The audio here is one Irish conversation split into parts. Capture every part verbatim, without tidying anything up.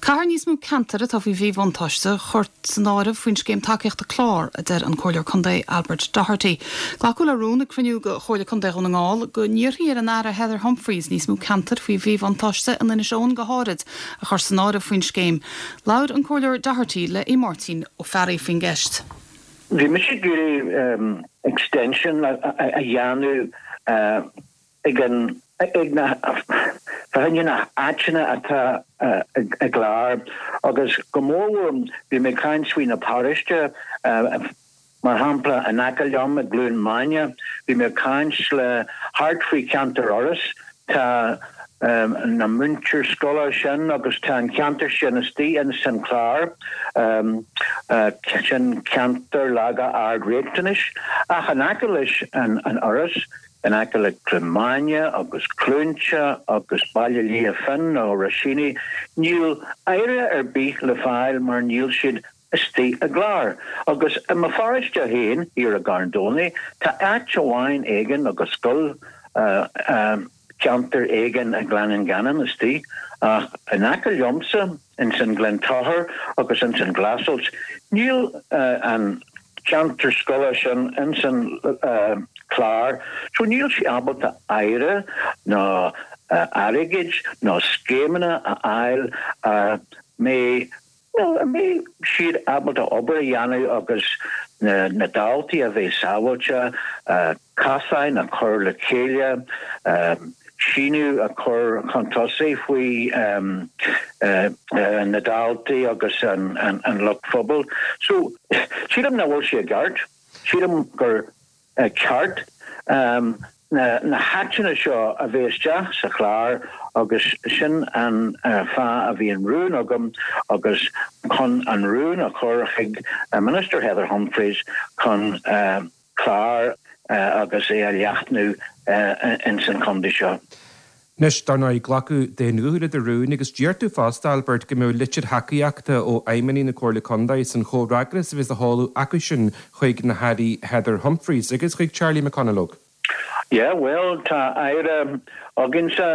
Caithfear níos mó ceantar atá faoi mhíbhuntáiste a chur san áireamh faoin scéim tacaíochta clár a deir an Comhairleoir Contae Albert Doherty. Glacadh le rún ag cruinniú de Chomhairle Contae Dhún na nGall go n-iarrfaí ar an Aire Heather Humphreys níos mó ceantar faoi mhíbhuntáiste in Inis Eoghain go háirid a chur san áireamh faoin scéim. Labhair an Comhairleoir Doherty le i Máirtín Ó Fearraigh faoin gceist. Bhí mise ag iarraidh um, extension a, a, a dhéanamh uh, ag an ag na fá na háiteanna atá uh, i gclár agus go mór bhí mé caint faoi na paróiste uh, mar shampla in aice liom i gCluain Maine bhí mé caint le thart faoi ceantar Iorrais tá um, na múinteoir scoile sin agus tá an ceantar sin istigh in san clár um, uh, sin ceantar laga ard-riachtanais ach in aice leis an, an Iorras in aice le Cluain Maine agus Cluainte agus Baile Liath Finn nó Ruisíní níl aire ar bith le fáil mar níl siad istigh i gclár. Agus i mo pharóiste féin ar i gCarn Domhnach tá áit amháin éigin agus scoil uh, um, ceantar éigin a Gleann Ganainn istigh ach in aice liomsa in san Glentochar agus in san Glasold níl uh, an ceantar scoile sin in san uh, clár, so níl sí ábalta aire ná uh, airgead ná scéimeanna a fháil uh, mé well, mé siad ábalta obair a dhéanamh agus na, na daltaí a bheith sábháilte uh, casáin a chur le chéile um, síniú a chur chun tosaigh faoi um, uh, uh, na daltaí agus an, an, an lucht phobail. So sílim nach bhfuil sé ceart, sílim gur uh, ceart um, na, na háiteanna seo a bheith isteach sa chlár agus sin an uh, fáth a bhí an rún agam agus chun an rún a chur chuig uh, Minister Heather Humphreys chun uh, clár uh, agus é a leathnú uh, in san contae seo. Anois dar ndóigh glacadh den úthe de rún agus dúirt tú fosta Albert go mbeadh litir thacaíochta ó fheidhmeannaigh na Comhairle Contae san chomhfhreagras a bheas á sheoladh acu sin chuig na hAirí Heather Humphreys agus chuig Charlie McConalogue. Yeah, well tá aire againsa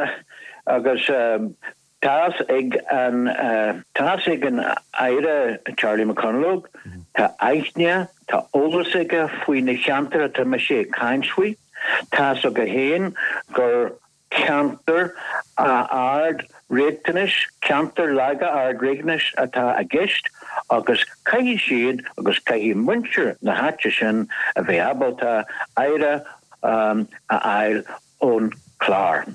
agus um, Tás ag an uh, tás ag an aire Charlie McConalogue mm -hmm. Tá aithne tá eolas aige faoi na ceantar atá mé ag caint faoi Tá aige féin gur ceantar ard riachtanais ceantar laga ard riachtanais atá i gceist agus caithfidh siad agus caithfidh muintir na háite sin a bheith ábalta aire um, a fháil ón clár.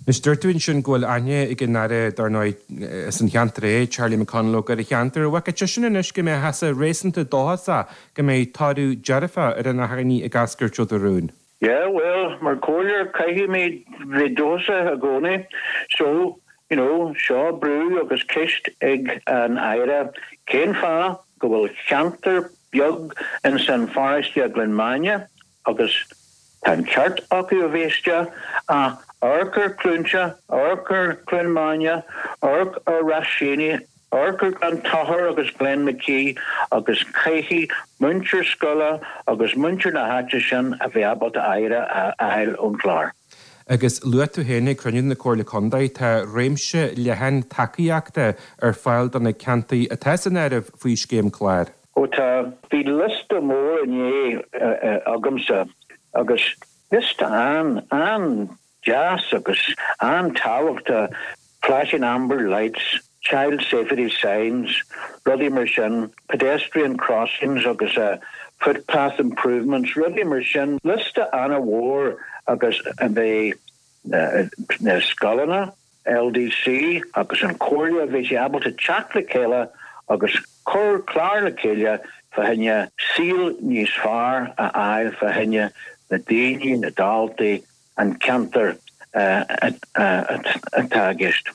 Anois dúirt tú ansin go bhfuil aithne ag an aire dar ndóigh san cheantar é Charlie McConalogue ar a cheantar, bhfuil sin anois go mbeidh tusa réasúnta dóchasach go mbeidh toradh dearfach ar an achainí ag eascairt ó do rún. Yeah, well, mar chomhairleoir caithfidh bheith dóchasach i gcónaí, so you know, seo brú agus ceist ag an aire cén fáth go bhfuil ceantar beag in san pharóiste Gleann Maine agus tá an ceart acu a bheith a amharc ar Cluainte, amharc ar Cluain Maine, amharc ar Ruisíní, amharc ar Glentochar agus Glenmackie agus caithfidh muintir scoile agus muintir na háite sin a bheith ábalta aire a fháil ón clár. Agus luaigh tú féin ag cruinniú na Comhairle Contae tá réimse leathan tacaíochta ar fáil do na ceantair atá san áireamh faoi scéim clár. Ó tá bhí liosta mór inné agamsa agus liosta an an deas agus an-tábhachtach flashing amber lights, child safety signs, rudaí mar sin, pedestrian crossings agus uh, footpath improvements, rudaí mar sin, liosta an-mhór agus a bheith uh, na scoileanna, LDC agus an Chomhairle bhí sé ábalta teacht le chéile agus cur clár le chéile fá choinne saol níos fearr a fháil fá choinne na daoine na daltaí an ceantar atá i gceist.